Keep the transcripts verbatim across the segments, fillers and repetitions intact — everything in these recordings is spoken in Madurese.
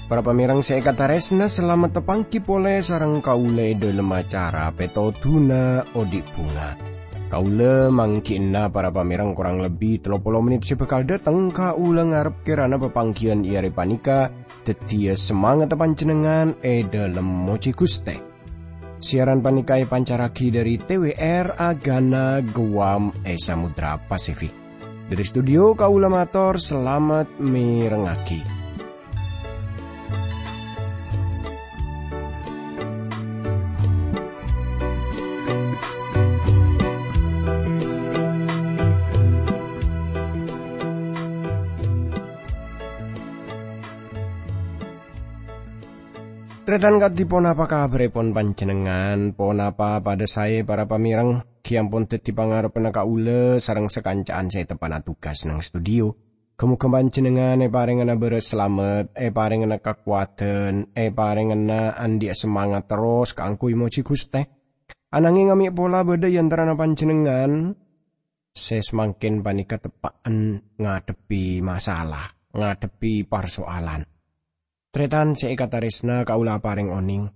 Para pamèrèng sè èkatarèsna, salamet tapangghi polè sareng kaulâ è dhâlem acara Pètodhuna Odi' Bhunga. Kaulâ mangghi'na para pamèrèng korang lebbi tello polo mennit sè bhâkal dhâteng. Kaulâ ngarep kèrana papangghiyân è arè panèka dhâddhiyâ samangatta panjhennengngan è dhâlem mojhi Ghustè. Siaran panèka èpancarraghi dhâri T W R Agana Guam è Samudra Pasifik. Dhâri studio kaulâ mator salamet mèrengngaghi. Tarètan kadhi ponapa kabhârèpon panjhennengngan? Ponapa padâ saè para pamèrèng? Ghi ampon dhâddhi pangarebbhânna kaulâ sareng sakanca'an sè teppa'na tugas neng studio. Ghâ-mogâ panjhennengngan èparèngana bârâs salamet, èparèngana kakowadhân, èparèngana andi'â samangat terros kaangghuy mojhi Ghustè. Ananghèng amè' pola bâdâ è antarana panjhennengngan sè samangkèn panèka teppa'en ngadhebbhi masalah, ngadhebbhi parsoalan. Tarètan sè èkatarèsna, kaulâ aparèng onèng,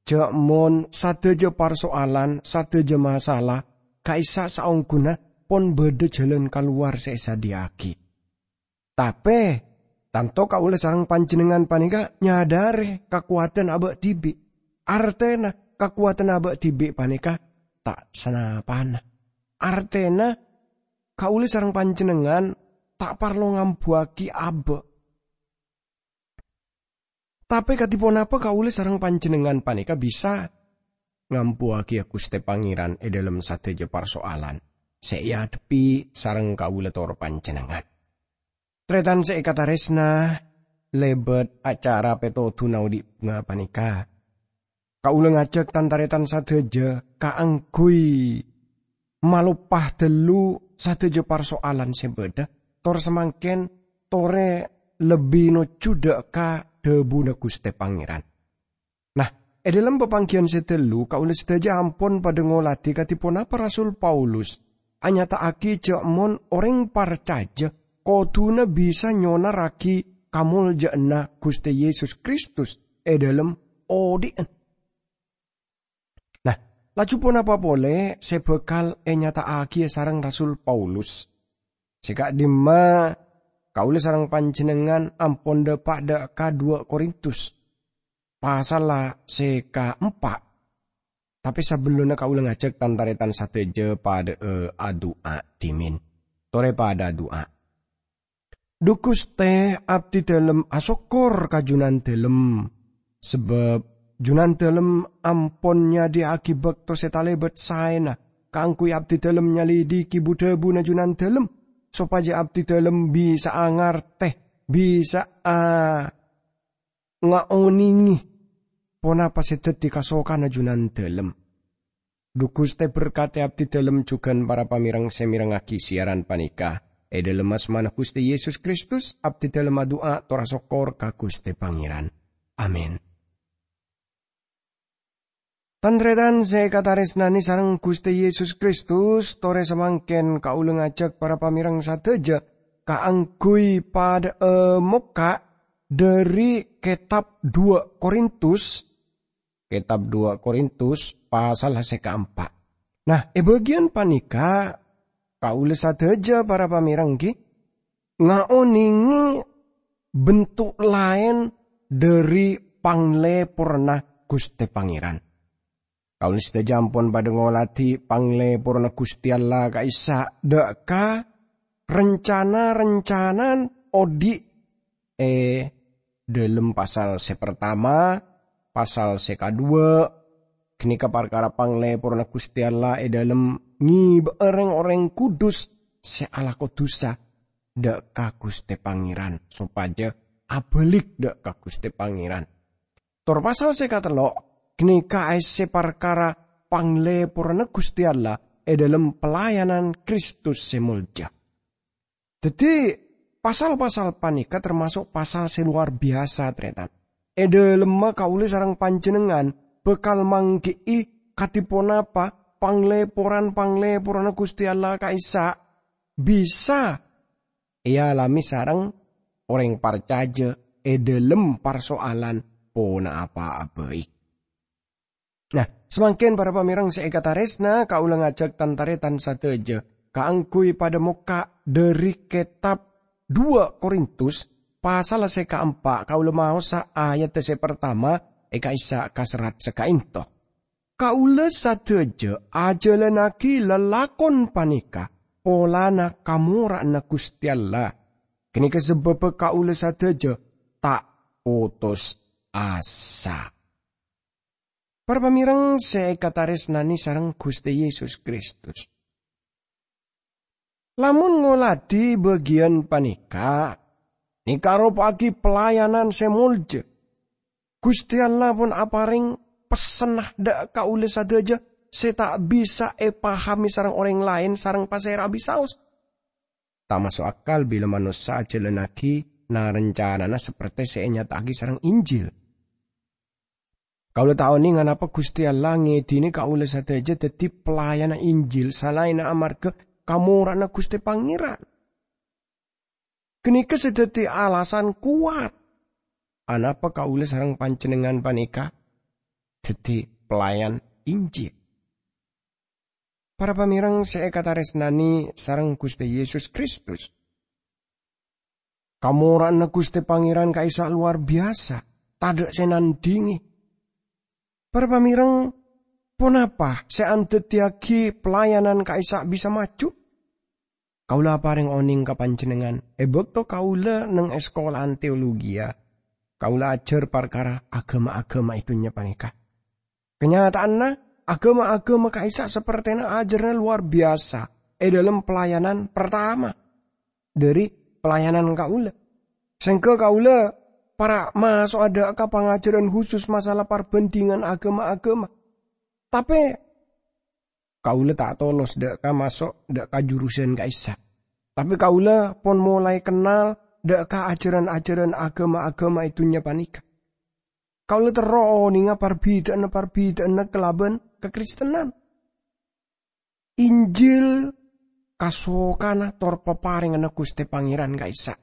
jhâ' mon sadhâjâ parsoalan, sadhâjâ masalah ka'issa' saongghuna pon bâdâ jhâlân kalowar sè èsadhiyâ'aghi. Tapè, tanto kaulâ sareng panjhennengngan panèka nyadhârè kakowadhân abâ' dhibi'. Artèna kakowadhân abâ' dhibi' panèka ta' sanapana. Artèna kaulâ sareng panjhennengngan ta' parlo ngambuwâghi abâ'. Tapè kadhi ponapa kaulâ sareng panjhennengngan panèka bisa ngambuwâghi Ghustè Pangèran è dhâlem sadhâjâ parsoalan sè èadhebbhi sareng kaulâ tor panjhennengngan? Tarètan sè èkatarèsna, lèbât acara Pètodhuna Odi' Bhunga panèka, kaulâ ngajhâk tan-tarètan sadhâjâ kaangghuy maloppa dâllu sadhâjâ parsoalan sè bâdâ, tor samangkèn torè lebbi nojjhu dâ' ka dhâbuna Ghustè Pangèran. Nah, è dhâlem papangghiyân sè dâllu, kaulâ sadhâjâ ampon padâ ngoladhi kadhi ponapa Rasul Paulus anyata'aghi jhâ' mon orèng parcajâ kodhuna bisa nyonarraghi kamoljâ'ânna Ghustè Yesus Kristus è dhâlem odhi'na. Nah, laju ponapa polè sè bhâkal ènyata'aghiyâ sareng Rasul Paulus? Sè ka'dimma kaulâ sareng panjhennengngan ampon dâpa' dâ' ka duwâ' Korintus, pasalla sè kaempa'. Tapè sabellunna kaulâ ngajhâk tan-tarètan sadhâjâ padâ'â adu'a dhimèn. Torè padâ adu'a. Dhu Ghustè, abdhidhâlem asokkor ka Junandhâlem, sabâb Junandhâlem ampon nyadhiyâ'aghi bâkto sè talèbât saèna kaangghuy abdhidhâlem nyalidhighi bu-dhâbuna Junandhâlem, sopajâ abdhidhâlem bisa'a ngartè, bisa'a ngaonèngè ponapa sè dhâddhi kasokanna Junandhâlem. Dhu Ghustè berkatè abdhidhâlem jhughân para pamèrèng sè mèrengngaghi siaran panèka. È dhâlem asmana Ghustè Yesus Kristus, abdhidhâlem adu'a tor asokkor ka Ghustè Pangèran. Amin. Tan-tarètan sè èkatarèsnanè sareng Ghustè Yesus Kristus, torè samangkèn kaulâ ngajhâk para pamèrèng sadhâjâ kaangghuy padâ'â mokka' dhâri kètab duwâ' Korintus, Kètab duwâ' Korintus, pasal sè kaempa'. Nah, è bâgiyân panèka, kaulâ sadhâjâ para pamèrèng ghi ngaonèngè bentuk laèn dhâri panglèporna Ghustè Pangèran. Kaulâ sadhâjâ ampon padâ ngoladhi panglèporna Ghustè Allah ka'issa' dâ' ka rencana-rencana odi' è dhâlem pasal sè partama, pasal sè kaduwâ', ghânèka parkara panglèporna Ghustè Allah è dhâlem ngibâ'â rèng-orèng kudus sè alako dhusa dâ' ka Ghustè Pangèran, sopajâ abâlik dâ' ka Ghustè Pangèran. Tor pasal sè katello', ghânèka aèssè parkara panglèporna Ghustè Allah è dhâlem pelayanan Kristus sè molja. Dhâddhi, pasal-pasal panèka tamaso' pasal sè lowar biyasa, tarètan. È dhâlemma kaulâ sareng panjhennengngan bhâkal mangghi'i kadhi ponapa panglèporan-panglèporanna Ghustè Allah ka'issa' bisa èalamè sareng orèng parcajâ è dhâlem parsoalan ponapa'a bhâi. Nah, samangkèn para pamèrèng sè èkatarèsna, kaulâ ngajhâk tan-tarètan sadhâjâ kaangghuy padâ mokka' dhâri kètab dua Korintus, pasal sè kaempa', kaulâ maosa ayat sè partama è ka'issa' ka serrat sè ka'ènto. Kaulâ sadhâjâ ajhâlannaghi lalakon panèka polana kamora'anna Ghustè Allah. Ghânèka sabâbbhâ kaulâ sadhâjâ ta' potos asa. Para pamèrèng sè èkatarèsnanè sareng Ghustè Yesus Kristus. Lamon ngoladhi bâgiyân panèka, nèka aropa'aghi pelayanan sè molja. Ghustè Allah pon aparèng pessenna dhâ' kaulâ sadhâjâ sè ta' bisa èpahamè sareng orèng laèn sareng pasèra bisaos. Ta' maso' akal bilâ manossa ajhâlannaghi na-, rancanana saperte sè ènyata'aghi sareng Injil. Kaulâ ta' onèng anapa Ghustè Allah ngèdhinè kaulâ sadhâjâ dhâddhi pelayanna Injil salaènna amarghâ kamora'anna Ghustè Pangèran. Ghânèka sè dhâddhi alasan kowat anapa kaulâ sareng panjhennengngan panèka dhâddhi pelayan Injil. Para pamèrèng sè èkatarèsnanè sareng Ghustè Yesus Kristus. Kamora'anna Ghustè Pangèran ka'issa' lowar biyasa, tadâ' sè nandhingè. Para pamèrèng, ponapa sè andhâddhiyaghi pelayanan ka'issa' bisa maju? Kaulâ aparèng onèng ka panjhennengngan, è bâkto kaulâ neng è sakola'an teologiya, kaulâ ajhâr parkara aghâma-aghâma è dhunnya panèka. Kanyata'anna, aghâma-aghâma ka'issa' sapertèna ajhârânna lowar biyasa è dhâlem pelayanan partama dhâri pelayanan kaulâ. Sèngghâ kaulâ para' maso'a dhâ' ka pangajhârân husus masalah parbhândhingan aghâma-aghâma. Tapè kaulâ ta' tolos dhâ' ka maso' dhâ' ka jurusan ka'issa'. Tapè kaulâ pon molaè kennal dhâ' ka ajhârân-ajhârân aghâma-aghâma è dhunnya panèka. Kaulâ terro onènga parbhidhâ'ânna-parbhidhâ'ânna kalabân kakristenan. Injil kasokana tor paparènganna Ghustè Pangèran ka'issa'.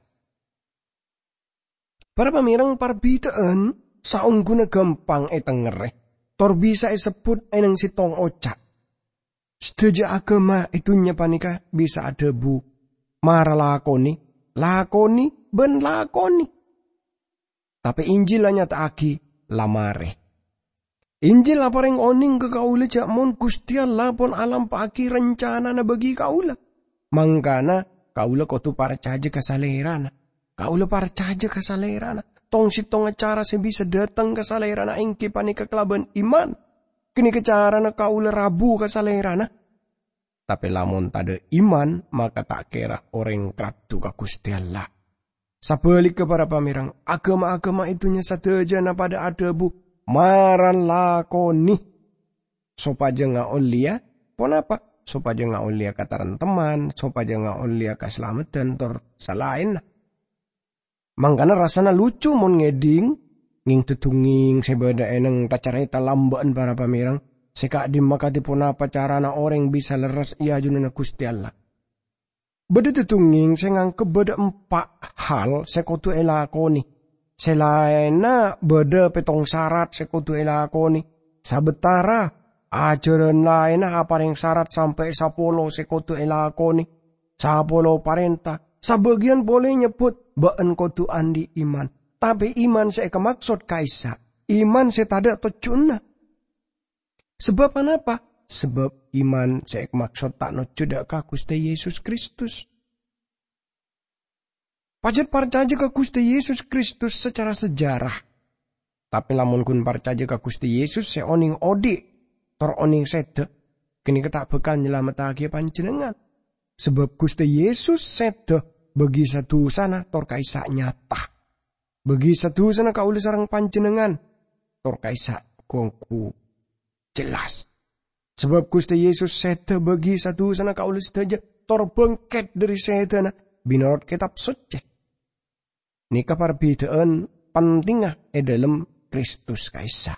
Para pamèrèng, parbhidhâ'ân saongghuna ghâmpang ètengngerrè, tor bisa èsebbhut è neng sèttong oca'. Sadhâjâ aghâma è dhunnya panèka bisa adhâbu, "Mara lakonè, lakonè, bân lakonè." Tapè Injil anyata'aghi, "La marè." Injil aparèng onèng ka kaulâ jhâ' mon Ghustè Allah pon alampa'aghi rancanana bagi kaulâ. Mangkana kaulâ kodhu parcajâ ka Salèrana. Kaulâ parcajâ ka Salèrana. Tong-sèttongnga cara sè bisa dhâteng ka Salèrana èngghi panèka kalabân iman. Ghânèka carana kaulâ rabu ka Salèrana. Tapè lamon tadâ' iman, maka ta' kèra orèng raddhu ka Ghustè Allah. Sabhâligghâ, para pamèrèng, aghâma-aghâma è dhunnya sadhâjâna padâ adhâbu, "Mara lakonè." Sopajâ ngaollèya ponapa? Sopajâ ngaollèya kataremteman, sopajâ ngaollèya kasalameddhân, tor salaènna. Mangkana rassana lucu mon ngèdhing, ngèng-dhudhungngèng sè bâdâ è neng ta-carèta lambâ'ân para pamèrèng, sè ka'dimma kadhi ponapa carana orèng bisa lerres è ajunanna Ghustè Allah. Bâdâ dhudhungngèng sè nganggep bâdâ empa' hal sè kodhu èlakonè. Sè laènna bâdâ pèttong sarat sè kodhu èlakonè. Sabâtara ajhârân laènna aparèng sarat sampè' sapolo sè kodhu èlakonè. Sapolo parènta. Sabâgiyân polè nyebbhut, "Bâ'ân kodhu andi' iman." Tapè iman sè èkamaksod ka'issa', iman sè tadâ' tojjhuna. Sabâb anapa? Sabâb iman sè èkamaksod ta' nojjhu dhâ' ka Ghustè Yesus Kristus. Pajhât parcajâ ka Ghustè Yesus Kristus sacara sejarah. Tapè lamon ghun parcajâ ka Ghustè Yesus sè onèng odi', tor onèng sèdhâ, ghânèka ta' bhâkal nyalamettaghi panjhennengngan. Sabâb Ghustè Yesus sèdhâ bâgi sa-dusana tor ka'issa' nyata. Bâgi sa-dusana kaulâ sareng panjhennengngan, tor ka'issa' ghu-ongghu jelas. Sabâb Ghustè Yesus sèdhâ bâgi sa-dusana kaulâ sadhâjâ, tor bângkèt dhâri sèdhâna, mènorot Kètab Soccè. Nèka parbhidhâ'ân pentingnga è dhâlem Kristus ka'issa'.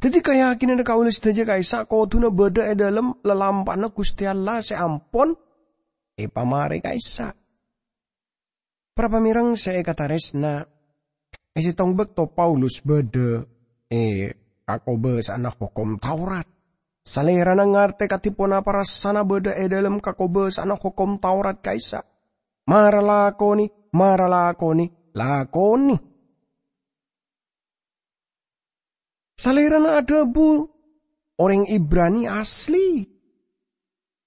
Dhâddhi, kayakinanna kaulâ sadhâjâ ka'issa' kodhuna bâdâ è dhâlem lalampa'na Ghustè Allah sè ampon èpamarè ka'issa'. Para pamèreng sè èkatarèsna, è sèttong bâkto Paulus bâdâ è kakobâsa'anna Hokom Taurat, salèrana ngartè kadhi ponapa rassana bâdâ è dhâlem kakobâsa'anna Hokom Taurat ka'issa'. "Mara lakonè, mara lakonè, lakonè." Salèrana adhâbu, "Orèng Ibrani asli.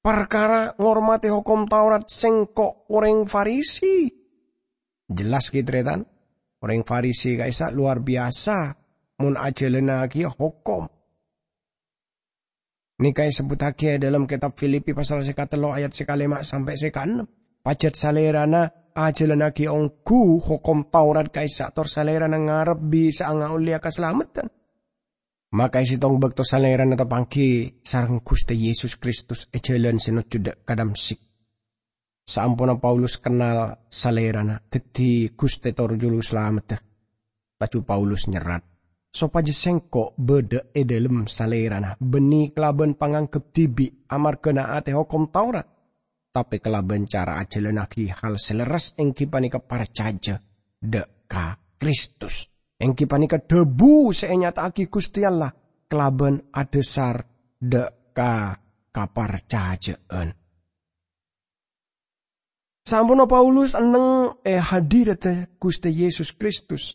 Parkara ngormadhi Hokom Taurat, sèngko' orèng Farisi." Jelas, ghi, tarètan? Orèng Farisi ka'issa' lowar biyasa mon ajhâlânnaghi hokom. Nèka èsebbhuttaghi è dhâlem kètab Filipi pasal sè katello ayat sè kalèma' sampè' sè kaennem. Pajhât salèrana ajhâlânnaghi ongghu Hokom Taurat ka'issa', tor salèrana ngarep bisa'a ngaollèya kasalameddhân. Maka è sèttong bâkto salèrana tapangghi sareng Ghustè Yesus Kristus è jhâlân sè nojjhu dâ' ka Damsyik. Saamponna Paulus kennal Salèrana dhâddhi Ghustè tor Juru Salameddhâ, laju Paulus nyerrat, "Sopajâ sèngko' bâdâ è dhâlem Salèrana, bânnè kalabân pangangghep dhibi' amarghâ na'atè Hokom Taurat, tapè kalabân cara ajhâlânnaghi hal sè lerres, èngghi panèka parcajâ dâ' ka Kristus, èngghi panèka dhâbu sè ènyata'aghi Ghustè Allah kalabân adhâsar dâ' ka kaparcajâ'ân." Saamponna Paulus enneng è hadiradda Ghustè Yesus Kristus,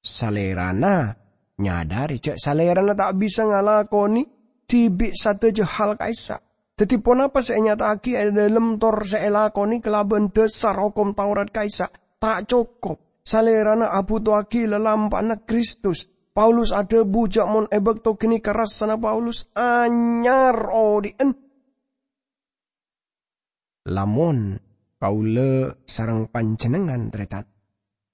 Salèrana nyadhâri jâ' Salèrana ta' bisa ngalakonè dhibi' sadhâjâ hal ka'issa'. Dhâddhi, ponapa sè ènyata'aghi è dhâlem tor sè èlakonè kalabân dhâsar Hokom Taurat ka'issa' ta' cokop. Salèrana abhutowaghi lalampa'anna Kristus. Paulus adhâbu jâ' mon è bâkto ghânèka rassana Paulus anyar odhi'ân. Lamon kaulâ sareng panjhennengngan, tarètan,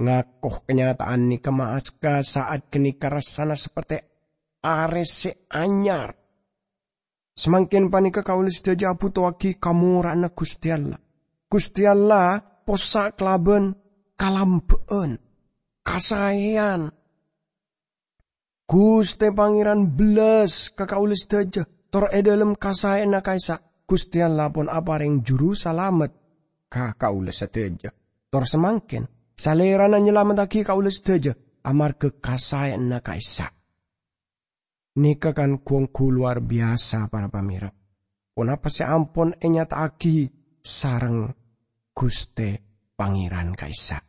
ngako kanyata'an nèka, ma'askè sa'at ghânèka rassana saperte arè sè anyar. Samangkèn panèka kaulâ sadhâjâ abhutowaghi kamora'anna Ghustè Allah. Ghustè Allah possa' kalabân kalambhâ'ân, kasaèyan. Ghustè Pangèran bellas ka kaulâ sadhâjâ, tor è dhâlem kasaèyanna ka'issa', Ghustè Allah pon aparèng Juru Salamet ka kaulâ sadhâjâ. Tor samangkèn, Salèrana nyalamettaghi kaulâ sadhâjâ amarghâ kasaèyanna ka'issa'. Nèka kan ghu-ongghu lowar biyasa, para pamèreng, ponapa sè ampon ènyata'aghi sareng Ghustè Pangèran ka'issa'.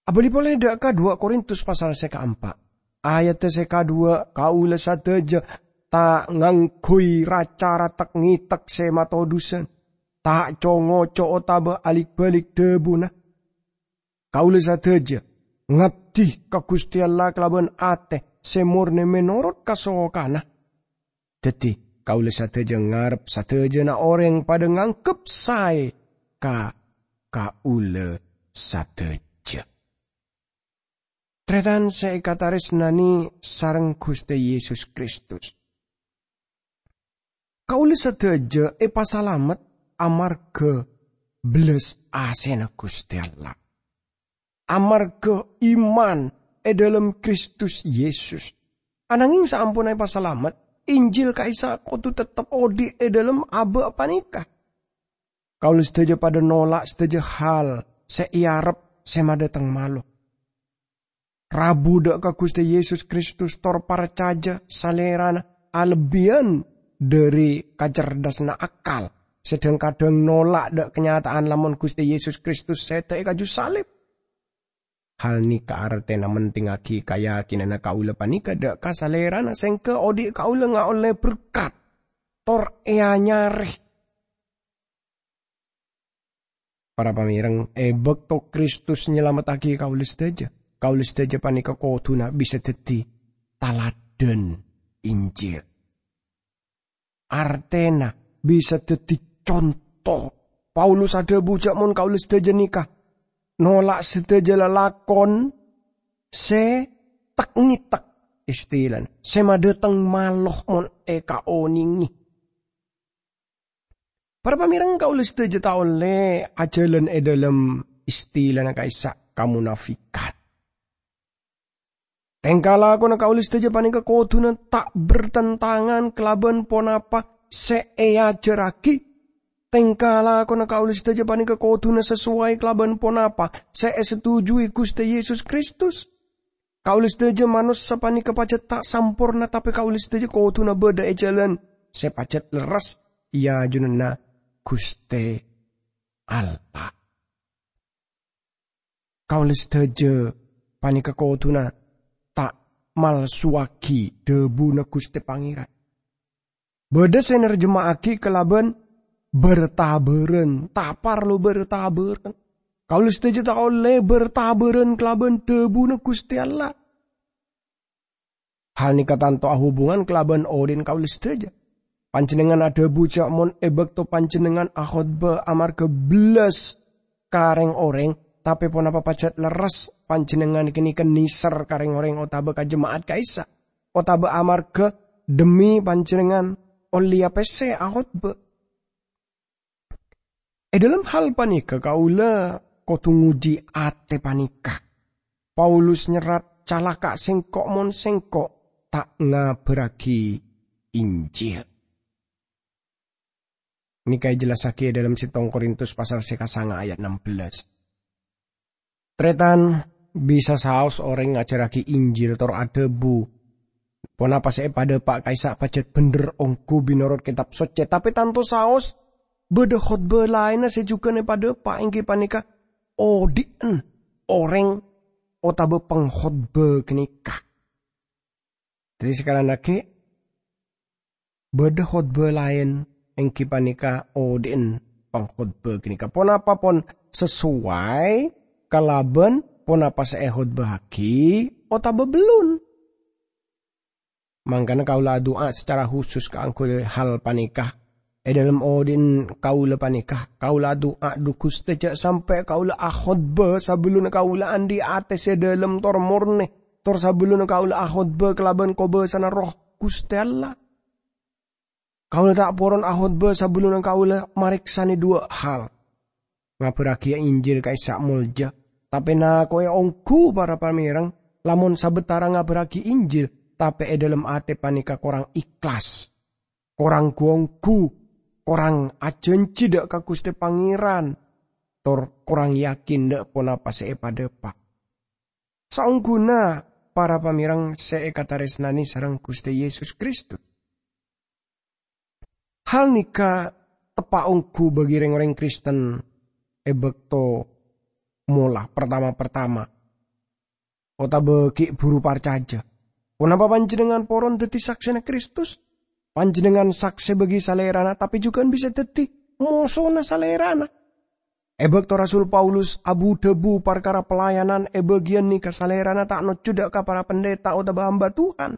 Abâli polè dâ' ka duwâ' Korintus pasal sè kaempa'. Ayadda sè kadhuwâ', kaulâ sadhâjâ ta' ngangghuy ra-cara tek-ngètek sè matodusân, ta' co-ngoco otabâ alik-balik dhâbuna. Kaulâ sadhâjâ ngabdi ka Ghustè Allah kalabân atè sè mornè mènorot kasokanna. Dhâddhi, kaulâ sadhâjâ ngarep sadhâjâna orèng padâ nganggep saè ka kaulâ sadhâjâ. Tarètan sè èkatarèsnanè sareng Ghustè Yesus Kristus. Kaulâ sadhâjâ èpasalamet amarghâ bellas asèna Ghustè Allah. Amarghâ iman è dhâlem Kristus Yesus. Anangèng saamponna èpasalamet, Injil ka'issa' kodhu teptep odhi' è dhâlem abâ' panèka. Kaulâ sadhâjâ padâ nola' sadhâjâ hal sè èarep sè madâteng malo. Rabu dâ' ka Ghustè Yesus Kristus tor parcajâ Salèrana alebbiyân dhâri kacerdasanna akal, sè dhâng-kadhâng nola' dâ' kanyata'an lamon Ghustè Yesus Kristus sèdhâ è kaju salib. Hal nèka artèna mentingngaghi kayakinanna kaulâ panèka dâ' ka Salèrana, sèngghâ odhi' kaulâ ngaollè berkat tor èanyarè. Para pamèreng, è bâkto Kristus nyalamettaghi kaulâ sadhâjâ, kaulâ sadhâjâ panèka kodhuna bisa dhâddhi taladhân Injil. Artèna bisa dhâddhi conto. Paulus adhâbu jâ' mon kaulâ sadhâjâ nèka nola' sadhâjâ lalakon sè tek-ngètek, istilana, sè madâteng malo mon èkaonèngè. Para pamèrèng, kaulâ sadhâjâ ta' ollè ajhâlân è dhâlem istilana ka'issa' kamonafikan. Tèngka lakona kaulâ sadhâjâ panèka kodhuna ta' bertentangan kalabân ponapa sè èajhârraghi. Tèngka lakona kaulâ sadhâjâ panèka kodhuna sasoway kalabân ponapa sè èsetujuwi Ghustè Yesus Kristus. Kaulâ sadhâjâ manossa panèka pajhât ta' samporna, tapè kaulâ sadhâjâ kodhuna bâdâ è jhâlân sè pajhât lerres, iyâ jhunanna Ghustè Allah. Kaulâ sadhâjâ panèka kodhuna ta' malsowaghi dhâbuna Ghustè Pangèran. Bâdâ sè narjema'aghi kalabân bâr-tabârân, ta' parlo bâr-tabârân. Kaulâ sadhâjâ ta' ollè bâr-tabârân kalabân dhâbuna Ghustè Allah. Hal nèka tanto ahubungan kalabân odhi'na kaulâ sadhâjâ. Panjhennengngan adhâbu jhâ' mon è bâkto panjhennengngan akhotbah amarghâ bellas ka rèng-orèng, tapè ponapa pajhât lerres panjhennengngan ghânèka nèser ka rèng-orèng otabâ ka jema'at ka'issa', otabâ amarghâ dhemmi panjhennengngan ollèya pèssè akhotbah. È dhâlem hal panèka kaulâ kodhu ngodhi atè panèka. Paulus nyerrat, "Calaka' sèngko' mon sèngko' ta' ngabârraghi Injil." Nèka èjellassaghi è dhâlem Settong Korintus pasal sè kasanga ayat ennem bellas. Tarètan, bisa saos orèng ngajhârraghi Injil tor adhâbu, "Ponapa sè èpadâpa' ka'issa' pajhât bhendher ongghu minorot Kètab Soccè." Tapè tanto saos bâdâ khotbah laènna sè jhughân èpadâpa', èngghi panèka odhi'en orèng otabâ pangkhotbah ghânèka. Dhâddhi, sakalèyan aghi', bâdâ khotbah laèn, èngghi panèka odhi'en pangkhotbah ghânèka. Ponapa pon sasoway kalabân ponapa sè èkhotbahaghi otabâ bellun? Mangkana kaulâ adu'a sacara khusus kaangghuy hal panèka. È dhâlem odhi'en kaulâ panèka, kaulâ adu'a, "Dhu Ghustè, jhâ' sampè' kaulâ akhotbah sabellunna kaulâ andi' atè sè dhâlem tor mornè, tor sabellunna kaulâ akhotbah kalabân kobâsana Erroh Ghustè Allah. Kaulâ ta' poron akhotbah sabellunna kaulâ marèksanè dhuwâ' hal. Ngabârraghi Injil ka'issa' molja, tapè nako'è ongghu para pamèrèng, lamon sabâtara ngabârraghi Injil, tapè è dhâlem atè panèka korang ikhlas, korang ghu-ongghu, korang ajhânjhi dhâ' ka Ghustè Pangèran, tor korang yakin dhâ' ponapa sè èpadâpa'." Saongghuna para pamèrèng sè èkatarèsnanè sareng Ghustè Yesus Kristus. Hal nèka teppa' ongghu bagi rèng-orèng Kristen è bâkto mola partama-partama otabâ ghi' buru parcajâ. Ponapa panjhennengngan poron dhâddhi saksèna Kristus? Panjhennengngan saksè bagi Salèrana, tapè jhughân bisa dhâddhi mosona Salèrana. È bâkto Rasul Paulus abu-dhâbu parkara pelayanan è bâgiyân nèka, Salèrana ta' nojjhu dhâ' ka para pendeta otabâ hamba Tuhan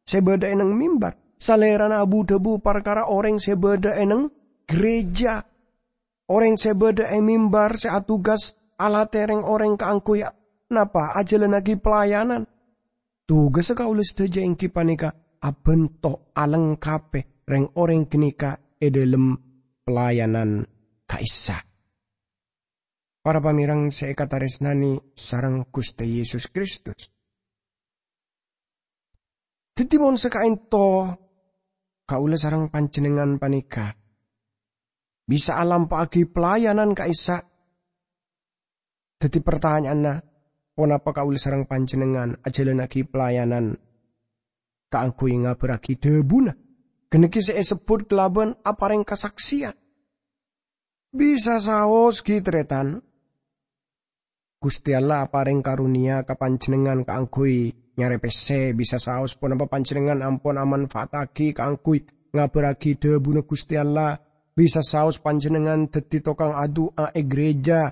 sè bâdâ è neng mimbar. Salèrana abu-dhâbu parkara orèng sè bâdâ è neng gereja. Orèng sè bâdâ è mimbar sè atugas alatè rèng-orèng kaangghuy napa? Ajhâlânnaghi pelayanan. Tugassa kaulâ sadhâjâ èngghi panèka abhânto alengkapè rèng-orèng ghânèka è dhâlem pelayanan ka'issa'. Para pamèrèng sè èkatarèsnanè sareng Ghustè Yesus Kristus. Dhâddhi, mon sakaènto kaulâ sareng panjhennengngan panèka bisa alampa'aghi pelayanan ka'issa', dhâddhi partanya'anna, ponapa kaulâ sareng panjhennengngan ajhâlânnaghi pelayanan kaangghuy ngabârraghi dhâbuna? Ghânèka sè èsebbhut kalabân aparèng kasaksèyan. Bisa saos, ghi, tarètan. Ghustè Allah aparèng karonèya ka panjhennengngan kaangghuy nyarè pèssè. Bisa saos ponapa panjhennengngan ampon amanfaataghi kaangghuy ngabârraghi dhâbuna Ghustè Allah. Bisa saos panjhennengngan dhâddhi tokang adu'a è gereja,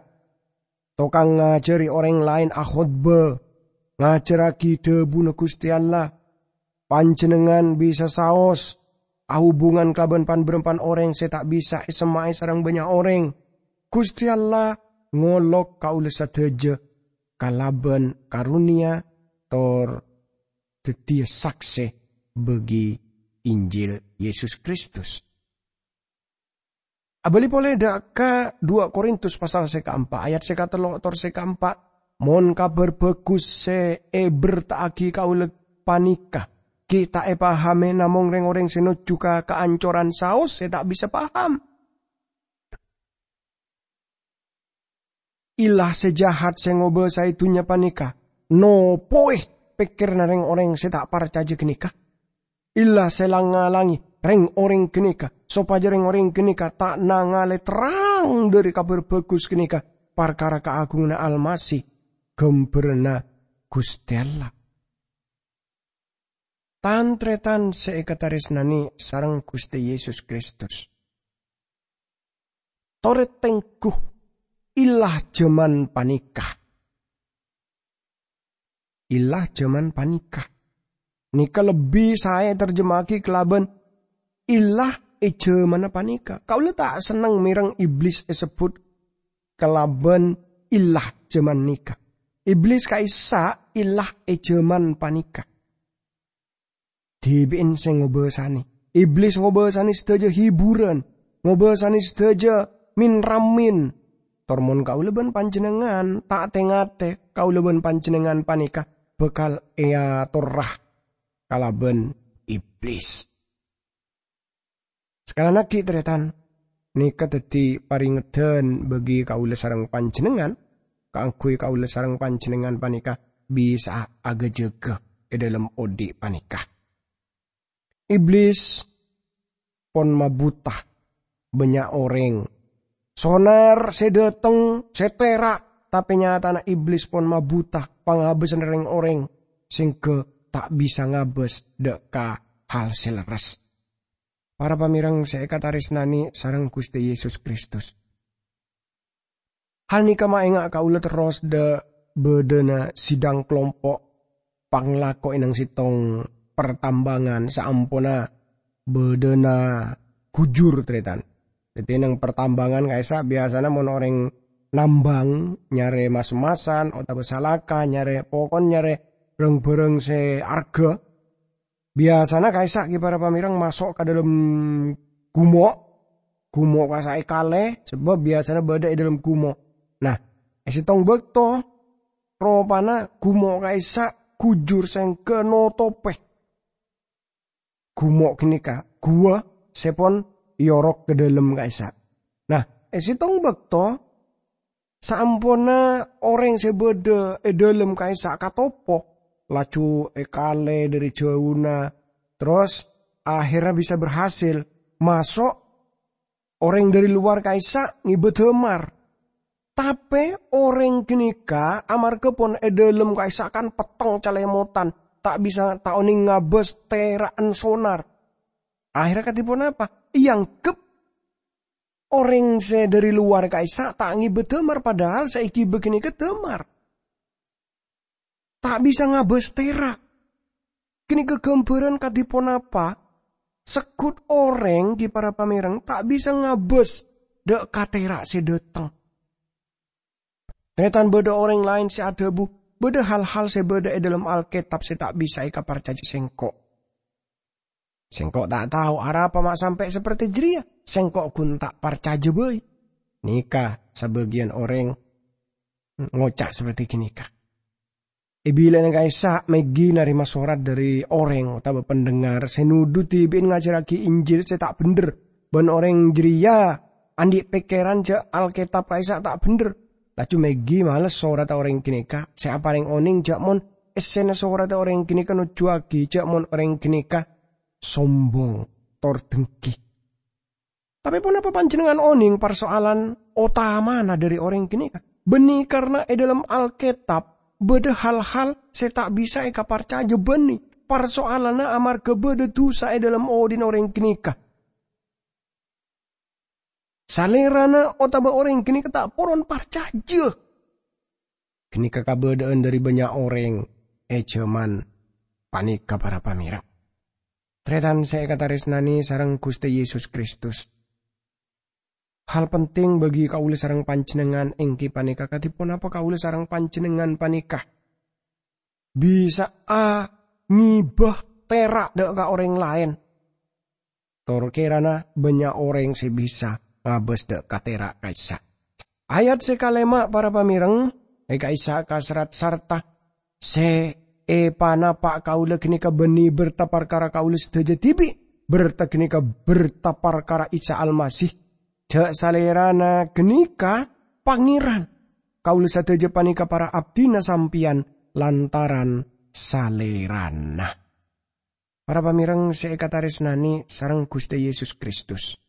tokang ngajhâri orèng laèn akhotbah, ngajhârraghi dhâbuna Ghustè Allah. Panjhennengngan bisa saos ahubungan kalabân pan-bârâmpan orèng sè ta' bisa èsemma'è sareng bânnya' orèng. Ghustè Allah ngolok kaulâ sadhâjâ kalabân karonèya tor dhâddhiyâ saksè bagi Injil Yesus Kristus. Abâli polè dâ' ka dua Korintus pasal sè kaempa', ayat sè katello' tor sè kaempa', "Mon Kabhâr Bhâghus sè èberta'aghi kaulâ panèka ghi' ta' èpahamè, namong rèng-orèng sè nojjhu ka kaancoran saos sè ta' bisa paham." Illah sè jahat sè ngobâsaè dhunnya panèka nopowè pèkkèranna rèng-orèng sè ta' parcajâ ghânèka. Illah sè lang-ngalangè rèng-orèng ghânèka, sopajâ rèng-orèng ghânèka ta' nangalè terrang dhâri Kabhâr Bhâghus ghânèka parkara kaagunganna Almasih, ghâmbhârânna Ghustè Allah. Tan-tarètan sè èkatarèsnanè sareng Ghustè Yesus Kristus. Torè tengghu, illah jhâman panèka. Illah jhâman panèka. Nèka lebbi saè ètarjema'aghi kalabân illah è jhâmanna panèka. Kaulâ ta' senneng mèreng Iblis èsebbhut kalabân illah jhâman nèka. Iblis ka'issa' illah è jhâman panèka. Dhibi'en sè ngobâsanè. Iblis ngobâsanè sadhâjâ hiburan, ngobâsanè sadhâjâ min-ramin. Tor mon kaulâ bân panjhennengngan ta' tè-ngatè, kaulâ bân panjhennengngan panèka bhâkal èatorra kalabân Iblis. Sakalangkong, tarètan, nèka dhâddhi parèngedhân bagi kaulâ sareng panjhennengngan, kaangghuy kaulâ sareng panjhennengngan panèka bisa'a aghâjâghâ è dhâlem odi' panèka. Iblis pon mabhuta bânnya' orèng. Sonar sè dhâteng, sè tèra', tapè nyatana Iblis pon mabhuta pangabâsânna rèng-orèng sèngghâ ta' bisa ngabâs dhâ' ka hal sè lerres. Para pamèreng sè èkatarèsnanè sareng Ghustè Yesus Kristus. Hal nèka maènga' kaulâ terros dhâ-, bâdâna sidang kalompo' panglako è nang sèttong partambangan saamponna bâdâna ghujur, tarètan. Dhâddhi, nang partambangan ka'issa' biyasana mon orèng nambang nyarè mas-emasan otabâ salaka, nyarè, pokon nyarè rang-bhârâng sè arghâ, biyasana ka'issa' ghi para pamèreng maso' ka dhâlem gumo', gumo' ka'issa' èkalè, sabâb biyasana bâdâ è dhâlem gumo'. Nah, è sèttong bâkto, ropana gumo' ka'issa' ghujur sèngghâ notopè gumo' ghânèka, guwa sè pon èyorok ka dhâlem ka'issa'. Nah, è sèttong bâkto, saamponna orèng sè bâdâ è dhâlem ka'issa' katopo, laju èkalè dhâri jhâuna, terros akhèrra bisa berhasil maso', orèng dhâri lowar ka'issa' ngibâ dâmar. Tapè orèng ghânèka amarghâ pon è dhâlem ka'issa' kan petteng calèmotan, ta' bisa, ta' onèng ngabâs tèra'an sonar. Akhèrra kadhi ponapa? Èangghep orèng sè dhâri lowar ka'issa' ta' ngibâ dâmar, padahal sè èghibâ ghânèka dâmar. Ta' bisa ngabâs tèra'. Ghânèka ghâmbhârân kadhi ponapa segghut orèng, ghi para pamèreng, ta' bisa ngabâs dhâ' ka tèra' sè dhâteng. Tarètan, bâdâ orèng laèn sè adhâbu, "Bâdâ hal-hal sè bâdâ è dhâlem Alkètab sè ta' bisa èkaparcajâ sèngko'." Sèngko' ta' tao arapa ma' sampè' saperti jârèya. Sèngko' ghun ta' parcajâ bhâi. Nèka sabâgiyân orèng ngoca' saperti ghânèka. È bilâna ka'issa' Maggie narèma sorat dhâri orèng otabâ pendengar sè nodhu dhibi'en ngajhârraghi Injil sè ta' bhendher, bân orèng jârèya andi' pèkkèran jâ' Alkètab ka'issa' ta' bhendher. Laju Maggie males soratta orèng ghânèka sè aparèng onèng jâ' mon èssèna soratta orèng ghânèka nojjhuwâghi jâ' mon orèng ghânèka sombong tor dengghi. Tapè ponapa panjhennengngan onèng parsoalan otamana dhâri orèng ghânèka? Bânnè karna è dhâlem Alkètab bâdâ hal-hal sè ta' bisa èkaparcajâ bânnè. Parsoalanna amarghâ bâdâ dhusa è dhâlem odhi'na orèng ghânèka. Salèrana otabâ orèng ghânèka ta' poron parcajâ. Ghânèka kabâdâ'ân dhâri bânnya' orèng è jhâman panèka, para pamèreng. Tarètan sè èkatarèsnanè sareng Ghustè Yesus Kristus. Hal penting bagi kaulâ sareng panjhennengngan èngghi panèka kadhi ponapa kaulâ sareng panjhennengngan panèka bisa'a ngibâ tèra' dhâ' ka orèng laèn. Tor kèrana bânnya' orèng sè bisa ngabâs dâ' ka tèra' ka'issa'. Ayat sè kalèma', para pamèreng, è ka'issa' kaserrat, "Sarta sè èpanapa' kaulâ ghânèka bânnè bârta parkara kaulâ sadhâjâ dhibi'. Bârta ghânèka bârta parkara Isa Almasih. Jhâ' Salèrana ghânèka Pangèran. Kaulâ sadhâjâ panèka para abdhina sampèyan lantaran Salèrana." Para pamèreng sè èkatarèsnanè sareng Ghustè Yesus Kristus.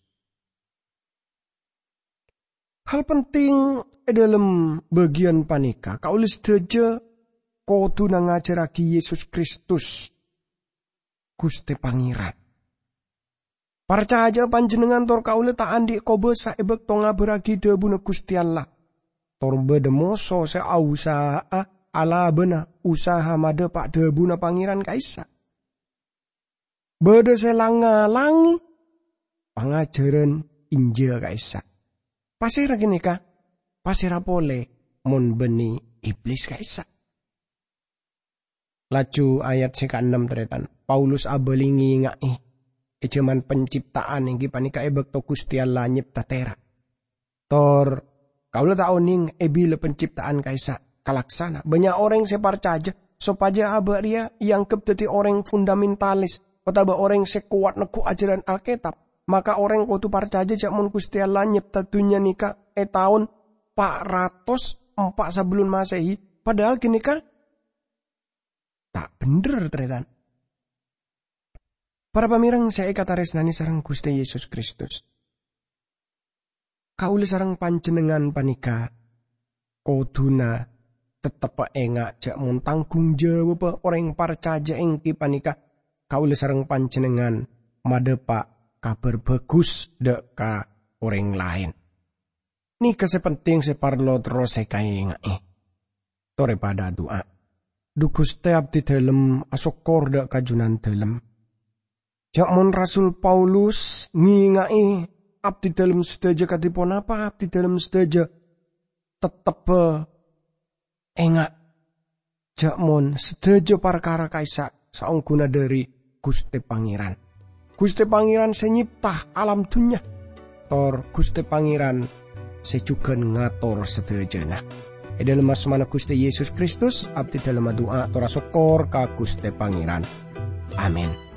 Hal penting è dhâlem bâgiyân panèka, kaulâ sadhâjâ kodhuna ngajhârraghi Yesus Kristus, Ghustè Pangèran. Parcajâ'â panjhennengngan tor kaulâ ta' andi' kobâsa è bâkto ngabârraghi dhâbuna Ghustè Allah. Tor bâdâ moso sè ausaha'a alabâna usaha madhâpa' dhâbuna Pangèran ka'issa'. Bâdâ sè lang-ngalangè pangajhârân Injil ka'issa'. Pasèra ghânèka? Pasèra polè mon bânnè Iblis ka'issa'? Laju ayat sè kaennem, tarètan. Paulus abâli ngènga'è, è jhâman pencipta'an èngghi panèka è bâkto Ghustè Allah nyèpta tèra'. Tor, kaulâ ta' onèng è bilâ pencipta'an ka'issa' kalaksana. Bânnya' orèng sè parcajâ sopajâ abâ' rèya èangghep dhâddhi orèng fundamentalis otabâ orèng sè kowat neggu' ajhârân Alkètab. Maka orèng kodhu parcajâ jhâ' mon Ghustè Allah nyèpta dhunnya nèka è taon pa' ratos empa' sabellun Masehi, padahal ghânèka ta' bhendher, tarètan. Para pamèreng sè èkatarèsnanè sareng Ghustè Yesus Kristus, kaulâ sareng panjhennengngan panèka kodhuna tetteppa enga' jhâ' mon tangghung jawabbhâ orèng parcajâ èngghi panèka kaulâ sareng panjhennengngan madhâpa' Kabhâr Bhâghus dâ' ka orèng laèn. Nèka sè penting sè parlo terros èkaènga'è. Torè padâ adu'a. Dhu Ghustè, abdhidhâlem asokkor dâ' ka Junandhâlem. Jhâ' mon Rasul Paulus ngènga'è abdhidhâlem sadhâjâ kadhi ponapa, abdhidhâlem sadhâjâ tetteppa enga'. Jhâ' mon sadhâjâ parkara ka'issa' saongghuna dhâri Ghustè Pangèran. Ghustè Pangèran sè nyèpta alam dhunnya. Tor Ghustè Pangèran sè jhughân ngator sadhâjâna. È dhâlem asmana Ghustè Yesus Kristus, abdhidhâlem adu'a tor asokkor ka Ghustè Pangèran. Amin.